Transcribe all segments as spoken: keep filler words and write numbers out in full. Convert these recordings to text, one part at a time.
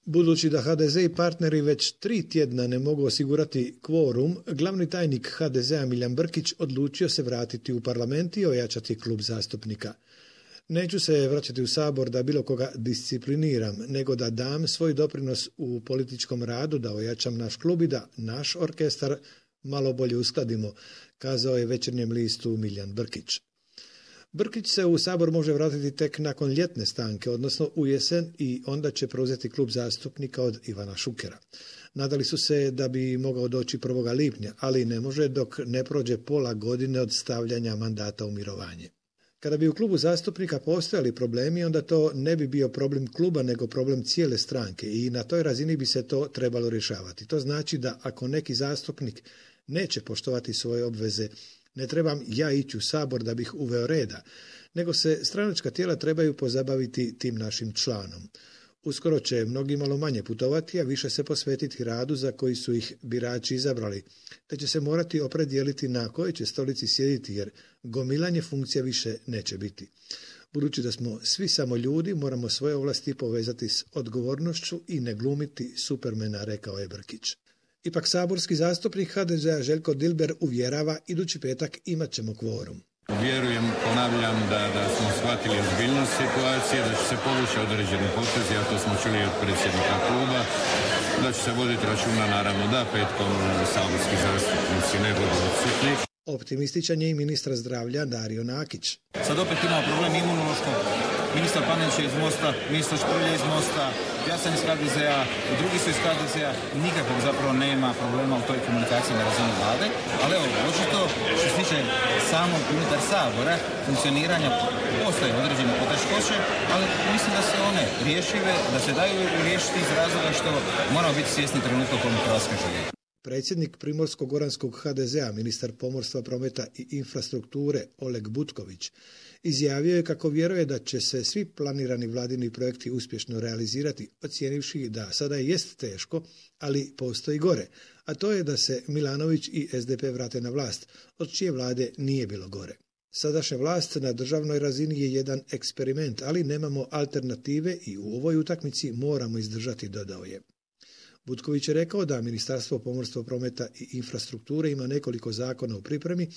Budući da ha de ze i partneri već tri tjedna ne mogu osigurati kvorum, glavni tajnik ha de zea Milijan Brkić odlučio se vratiti u parlament i ojačati klub zastupnika. Neću se vraćati u Sabor da bilo koga discipliniram, nego da dam svoj doprinos u političkom radu, da ojačam naš klub i da naš orkestar malo bolje uskladimo, kazao je Večernjem listu Milijan Brkić. Brkić se u Sabor može vratiti tek nakon ljetne stanke, odnosno u jesen, i onda će preuzeti klub zastupnika od Ivana Šukera. Nadali su se da bi mogao doći prvog lipnja, ali ne može dok ne prođe pola godine od stavljanja mandata u mirovanje. Kada bi u klubu zastupnika postojali problemi, onda to ne bi bio problem kluba, nego problem cijele stranke i na toj razini bi se to trebalo rješavati. To znači da ako neki zastupnik neće poštovati svoje obveze, ne trebam ja ići u Sabor da bih uveo reda, nego se stranačka tijela trebaju pozabaviti tim našim članom. Uskoro će mnogi malo manje putovati, a više se posvetiti radu za koji su ih birači izabrali, te će se morati opredijeliti na kojoj će stolici sjediti, jer gomilanje funkcija više neće biti. Budući da smo svi samo ljudi, moramo svoje ovlasti povezati s odgovornošću i ne glumiti supermena, rekao je Brkić. Ipak saborski zastupnik ha de zea Željko Dilber uvjerava, idući petak imat ćemo kvorum. Vjerujem, ponavljam, da, da smo shvatili ozbiljnost situacije, da će se povući određeni potezi, a to smo čuli od predsjednika kluba, da će se voditi računa, naravno, da petkom saborski zastupnici ne budu odsutni. Optimističan je i ministar zdravlja Dario Nakić. Sad opet imamo problem imunološkog. Ministar Panenić je iz Mosta, ministar Šprlje iz Mosta, ja sam iz ha de zea, i drugi su iz ha de zea. Nikakvog zapravo nema problema u toj komunikaciji na razini vlade. Ali evo, očito što se tiče samog unutar Sabora, funkcioniranja, postoje određene poteškoće, ali mislim da se one riješive, da se daju riješiti iz razloga što moramo biti svjesni trenutka u kojem Hrvatska živi. Predsjednik Primorsko-goranskog ha de zea, ministar pomorstva, prometa i infrastrukture Oleg Butković, izjavio je kako vjeruje da će se svi planirani vladini projekti uspješno realizirati, ocijenivši da sada jest teško, ali postoji gore, a to je da se Milanović i es de pe vrate na vlast, od čije vlade nije bilo gore. Sadašnja vlast na državnoj razini je jedan eksperiment, ali nemamo alternative i u ovoj utakmici moramo izdržati, dodao je. Butković je rekao da Ministarstvo pomorstva, prometa i infrastrukture ima nekoliko zakona u pripremi,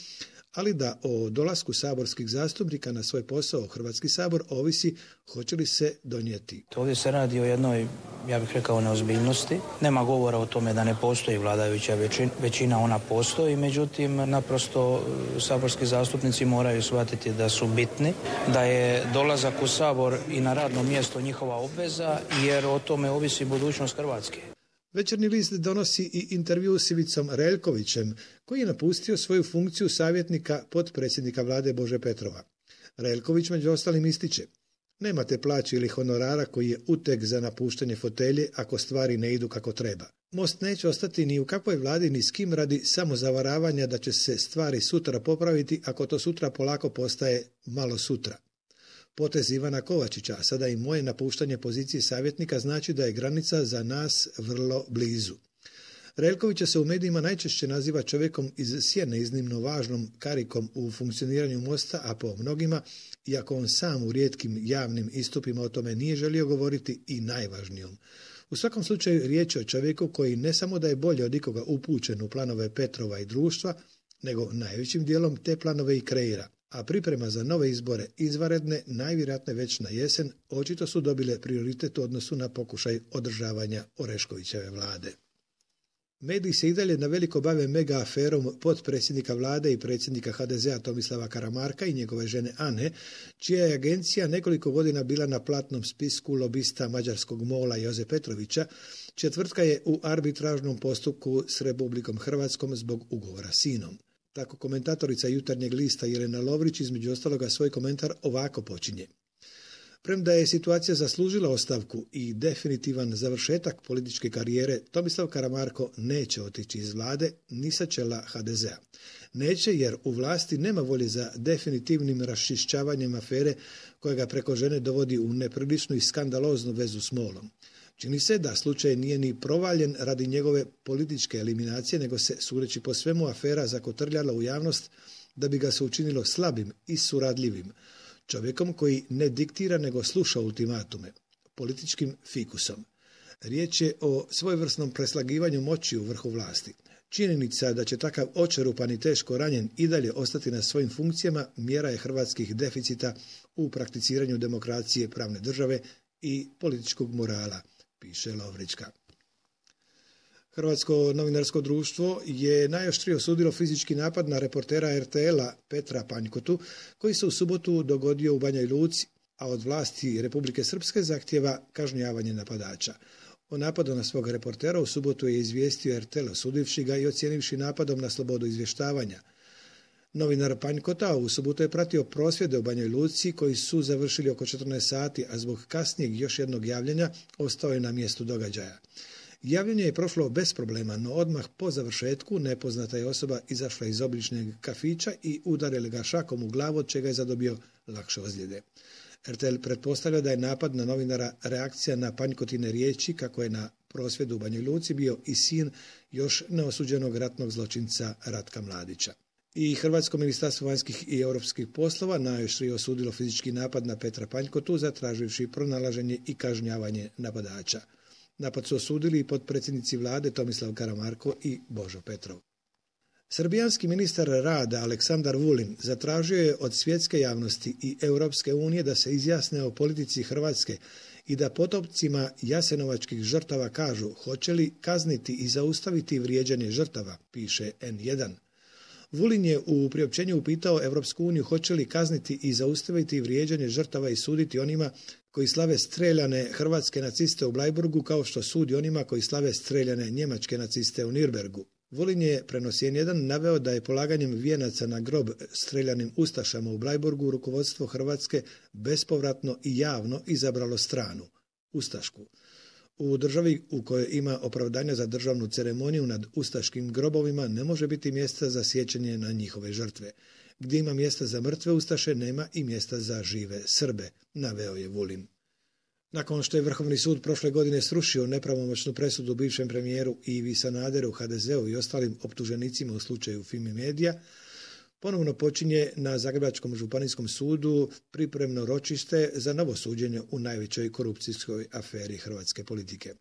ali da o dolasku saborskih zastupnika na svoj posao Hrvatski sabor ovisi hoće li se donijeti. Ovdje se radi o jednoj, ja bih rekao, neozbiljnosti. Nema govora o tome da ne postoji vladajuća većina, većina ona postoji, međutim, naprosto saborski zastupnici moraju shvatiti da su bitni, da je dolazak u Sabor i na radno mjesto njihova obveza, jer o tome ovisi budućnost Hrvatske. Večernji list donosi i intervju s Ivicom Relkovićem, koji je napustio svoju funkciju savjetnika potpredsjednika vlade Bože Petrova. Relković među ostalim ističe: nemate plaće ili honorara koji je uteg za napuštanje fotelje ako stvari ne idu kako treba. Most neće ostati ni u kakvoj vladi ni s kim radi samozavaravanja da će se stvari sutra popraviti ako to sutra polako postaje malo sutra. Potez Ivana Kovačića, a sada i moje napuštanje pozicije savjetnika, znači da je granica za nas vrlo blizu. Relkovića se u medijima najčešće naziva čovjekom iz sjene, iznimno važnom karikom u funkcioniranju Mosta, a po mnogima, iako on sam u rijetkim javnim istupima o tome nije želio govoriti, i najvažnijom. U svakom slučaju riječ je o čovjeku koji ne samo da je bolje od ikoga upućen u planove Petrova i društva, nego najvećim dijelom te planove i kreira. A priprema za nove izbore, izvanredne, najvjerojatnije već na jesen, očito su dobile prioritet u odnosu na pokušaj održavanja Oreškovićeve vlade. Mediji se i dalje na veliko bave mega aferom potpredsjednika vlade i predsjednika ha de zea Tomislava Karamarka i njegove žene Ane, čija je agencija nekoliko godina bila na platnom spisku lobista mađarskog mola Joze Petrovića, čija tvrtka je u arbitražnom postupku s Republikom Hrvatskom zbog ugovora s Inom. Tako komentatorica Jutarnjeg lista Jelena Lovrić između ostaloga svoj komentar ovako počinje: premda je situacija zaslužila ostavku i definitivan završetak političke karijere, Tomislav Karamarko neće otići iz vlade ni sa čela ha de zea. Neće jer u vlasti nema volje za definitivnim raščišćavanjem afere koja ga preko žene dovodi u nepriličnu i skandaloznu vezu s molom. Čini se da slučaj nije ni provaljen radi njegove političke eliminacije, nego se, sudeći po svemu, afera zakotrljala u javnost da bi ga se učinilo slabim i suradljivim, čovjekom koji ne diktira nego sluša ultimatume, političkim fikusom. Riječ je o svojevrsnom preslagivanju moći u vrhu vlasti. Činjenica da će takav očerupan i teško ranjen i dalje ostati na svojim funkcijama mjera je hrvatskih deficita u prakticiranju demokracije, pravne države i političkog morala, piše Lovrička. Hrvatsko novinarsko društvo je najoštrije osudilo fizički napad na reportera er te el-a Petra Panjkotu, koji se u subotu dogodio u Banjoj Luci, a od vlasti Republike Srpske zahtjeva kažnjavanje napadača. O napadu na svog reportera u subotu je izvijestio er te el, osudivši ga i ocijenivši napadom na slobodu izvještavanja. Novinar Panjkota u subotu je pratio prosvjede u Banjoj Luci koji su završili oko četrnaest sati, a zbog kasnijeg još jednog javljanja ostao je na mjestu događaja. Javljanje je prošlo bez problema, no odmah po završetku nepoznata je osoba izašla iz obličnog kafića i udarila ga šakom u glavu, od čega je zadobio lakše ozljede. er te el pretpostavlja da je napad na novinara reakcija na Panjkotine riječi kako je na prosvjedu u Banjoj Luci bio i sin još neosuđenog ratnog zločinca Ratka Mladića. I Hrvatsko ministarstvo vanjskih i europskih poslova najoštrije osudilo fizički napad na Petra Panjkotu, zatraživši pronalaženje i kažnjavanje napadača. Napad su osudili i potpredsjednici vlade Tomislav Karamarko i Božo Petrov. Srbijanski ministar rada Aleksandar Vulin zatražio je od svjetske javnosti i Europske unije da se izjasne o politici Hrvatske i da potomcima jasenovačkih žrtava kažu hoće li kazniti i zaustaviti vrijeđanje žrtava, piše en jedan. Vulin je u priopćenju upitao Europsku uniju hoće li kazniti i zaustaviti vrijeđanje žrtava i suditi onima koji slave streljane hrvatske naciste u Blajburgu kao što sudi onima koji slave streljane njemačke naciste u Nürnbergu. Vulin je, prenosi en jedan, naveo da je polaganjem vijenaca na grob streljanim ustašama u Blajburgu rukovodstvo Hrvatske bespovratno i javno izabralo stranu, ustašku. U državi u kojoj ima opravdanja za državnu ceremoniju nad ustaškim grobovima ne može biti mjesta za sjećanje na njihove žrtve. Gdje ima mjesta za mrtve ustaše, nema i mjesta za žive Srbe, naveo je Vulin. Nakon što je Vrhovni sud prošle godine srušio nepravomoćnu presudu bivšem premijeru Ivi Sanaderu, ha de zeu i ostalim optuženicima u slučaju Fimi Media, ponovno počinje na Zagrebačkom županijskom sudu pripremno ročište za novo suđenje u najvećoj korupcijskoj aferi hrvatske politike.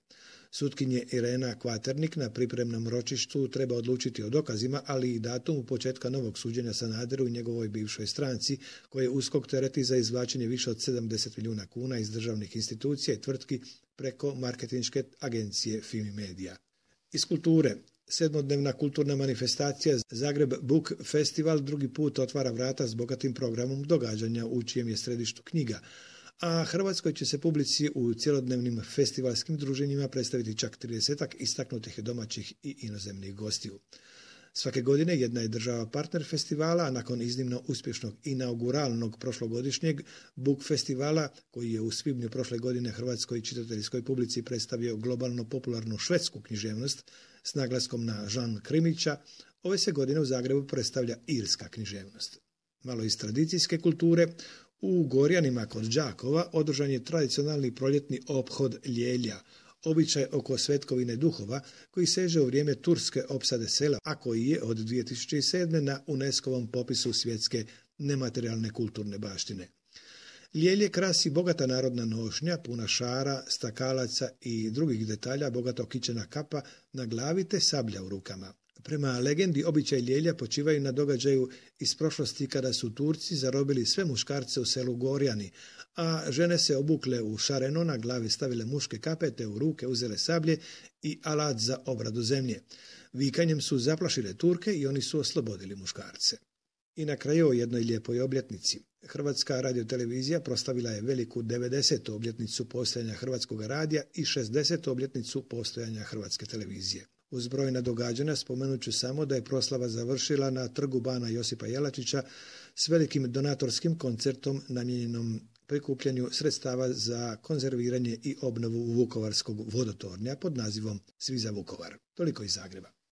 Sutkinje Irena Kvaternik na pripremnom ročištu treba odlučiti o dokazima, ali i datumu početka novog suđenja Sanaderu i njegovoj bivšoj stranci, koje USKOK tereti za izvlačenje više od sedamdeset milijuna kuna iz državnih institucija i tvrtki preko marketinške agencije Fimi Media. Iz kulture. Sedmodnevna kulturna manifestacija Zagreb Book Festival drugi put otvara vrata s bogatim programom događanja u čijem je središtu knjiga, a Hrvatskoj će se publici u cjelodnevnim festivalskim druženjima predstaviti čak tridesetak istaknutih domaćih i inozemnih gostiju. Svake godine jedna je država partner festivala, a nakon iznimno uspješnog inauguralnog prošlogodišnjeg Book Festivala, koji je u svibnju prošle godine hrvatskoj čitateljskoj publici predstavio globalno popularnu švedsku književnost s naglaskom na Jean Krimića, ove se godine u Zagrebu predstavlja irska književnost. Malo iz tradicijske kulture, u Gorjanima kod Đakova održan je tradicionalni proljetni ophod Ljelja, običaj oko svetkovine duhova koji seže u vrijeme turske opsade sela, a koji je od dvije tisuće sedme. na UNESCO-vom popisu svjetske nematerijalne kulturne baštine. Ljelje krasi bogata narodna nošnja, puna šara, stakalaca i drugih detalja, bogato kićena kapa na glavi te sablja u rukama. Prema legendi, običaj Ljelja počivaju na događaju iz prošlosti kada su Turci zarobili sve muškarce u selu Gorjani, a žene se obukle u šareno, na glavi stavile muške kape te u ruke uzele sablje i alat za obradu zemlje. Vikanjem su zaplašile Turke i oni su oslobodili muškarce. I na kraju o jednoj lijepoj obljetnici. Hrvatska radiotelevizija proslavila je veliku devedesetu obljetnicu postojanja Hrvatskog radija i šezdesetu obljetnicu postojanja Hrvatske televizije. Uz brojna događanja spomenut ću samo da je proslava završila na trgu bana Josipa Jelačića s velikim donatorskim koncertom namijenjenom prikupljanju sredstava za konzerviranje i obnovu Vukovarskog vodotornja pod nazivom Svi za Vukovar. Toliko iz Zagreba.